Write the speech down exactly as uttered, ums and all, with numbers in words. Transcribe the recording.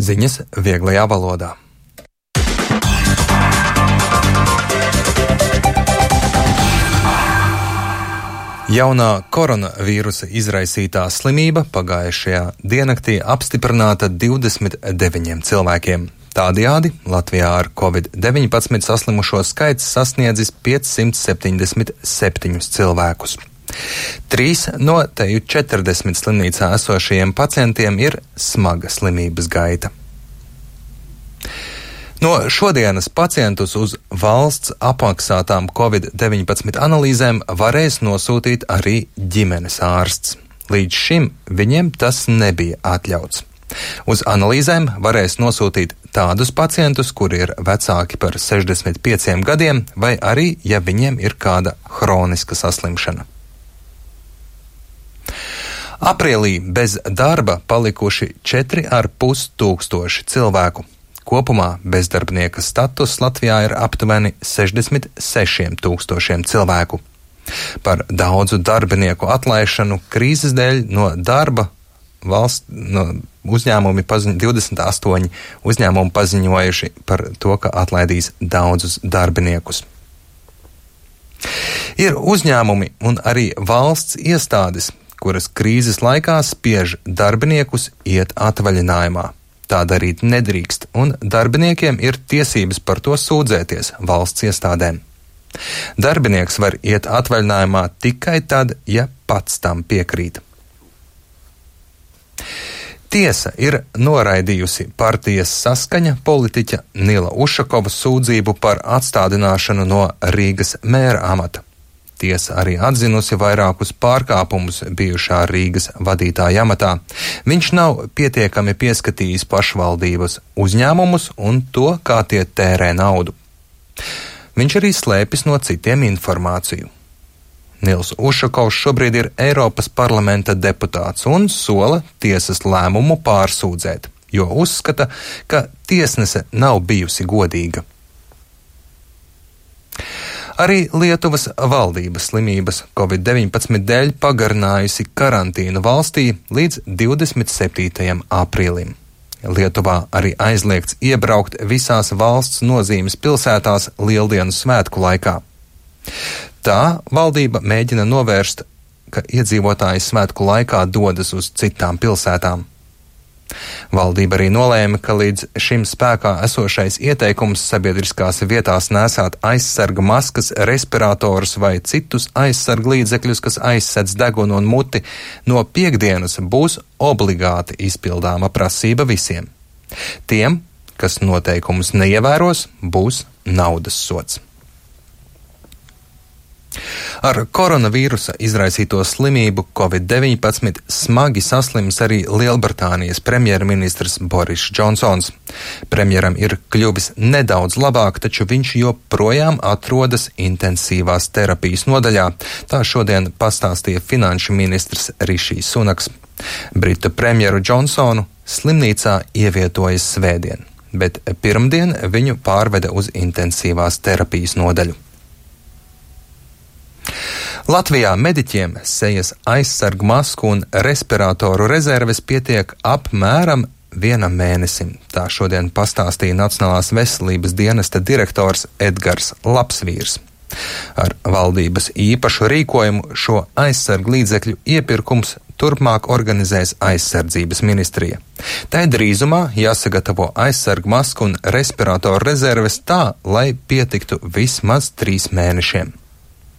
Ziņas vieglajā valodā. Jaunā koronavīrusa izraisītā slimība pagājušajā diennaktī apstiprināta divdesmit deviņiem cilvēkiem. Tādējādi Latvijā ar covid deviņpadsmit saslimušo skaits sasniedzis piecsimt septiņdesmit septiņus cilvēkus. Trīs no teju četrdesmit slimnīcā esošajiem pacientiem ir smaga slimības gaita. No šodienas pacientus uz valsts apmaksātām covid deviņpadsmit analīzēm varēs nosūtīt arī ģimenes ārsts. Līdz šim viņiem tas nebija atļauts. Uz analīzēm varēs nosūtīt tādus pacientus, kuri ir vecāki par sešdesmit pieciem gadiem, vai arī, ja viņiem ir kāda hroniska saslimšana. Aprīlī bez darba palikuši četri ar pus tūkstoši cilvēku. Kopumā bezdarbnieka status Latvijā ir aptuveni sešdesmit sešiem tūkstošiem cilvēku. Par daudzu darbinieku atlaišanu krīzes dēļ no darba valsts no uzņēmumi paziņo, divdesmit astoņi uzņēmumi paziņojuši par to, ka atlaidīs daudzus darbiniekus. Ir uzņēmumi un arī valsts iestādes, kuras krīzes laikā spiež darbiniekus iet atvaļinājumā. Tā darīt nedrīkst, un darbiniekiem ir tiesības par to sūdzēties valsts iestādēm. Darbinieks var iet atvaļinājumā tikai tad, ja pats tam piekrīt. Tiesa ir noraidījusi partijas Saskaņa politiķa Nila Ušakovas sūdzību par atstādināšanu no Rīgas mēra amata. Tiesa arī atzinusi vairākus pārkāpumus bijušā Rīgas vadītāja amatā. Viņš nav pietiekami pieskatījis pašvaldības uzņēmumus un to, kā tie tērē naudu. Viņš arī slēpis no citiem informāciju. Nils Ušakovs šobrīd ir Eiropas parlamenta deputāts un sola tiesas lēmumu pārsūdzēt, jo uzskata, ka tiesnese nav bijusi godīga. Arī Lietuvas valdības slimības covid deviņpadsmit dēļ pagarinājusi karantīnu valstī līdz divdesmit septītajam aprīlim. Lietuvā arī aizliegts iebraukt visās valsts nozīmes pilsētās Lieldienu svētku laikā. Tā valdība mēģina novērst, ka iedzīvotāji svētku laikā dodas uz citām pilsētām. Valdība arī nolēma, ka līdz šim spēkā esošais ieteikums sabiedriskās vietās nēsāt aizsarga maskas, respiratorus vai citus aizsarga līdzekļus, kas aizsedz degunu un muti, no piektdienas būs obligāti izpildāma prasība visiem. Tiem, kas noteikumus neievēros, būs naudas sods. Ar koronavīrusa izraisīto slimību covid deviņpadsmit smagi saslims arī Lielbritānijas premjerministrs Boris Džonsons. Premjeram ir kļuvis nedaudz labāk, taču viņš joprojām atrodas intensīvās terapijas nodaļā. Tā šodien pastāstīja finanšu ministrs Rišijs Sunaks. Britu premjeru Džonsonu slimnīcā ievietojas svētdien, bet pirmdien viņu pārveda uz intensīvās terapijas nodaļu. Latvijā mediķiem sejas aizsargu masku un respiratoru rezerves pietiek apmēram vienam mēnesim. Tā šodien pastāstīja Nacionālās veselības dienesta direktors Edgars Lapsvīrs. Ar valdības īpašu rīkojumu šo aizsargu līdzekļu iepirkums turpmāk organizēs aizsardzības ministrija. Tai drīzumā jāsagatavo aizsargu masku un respiratoru rezerves tā, lai pietiktu vismaz trīs mēnešiem.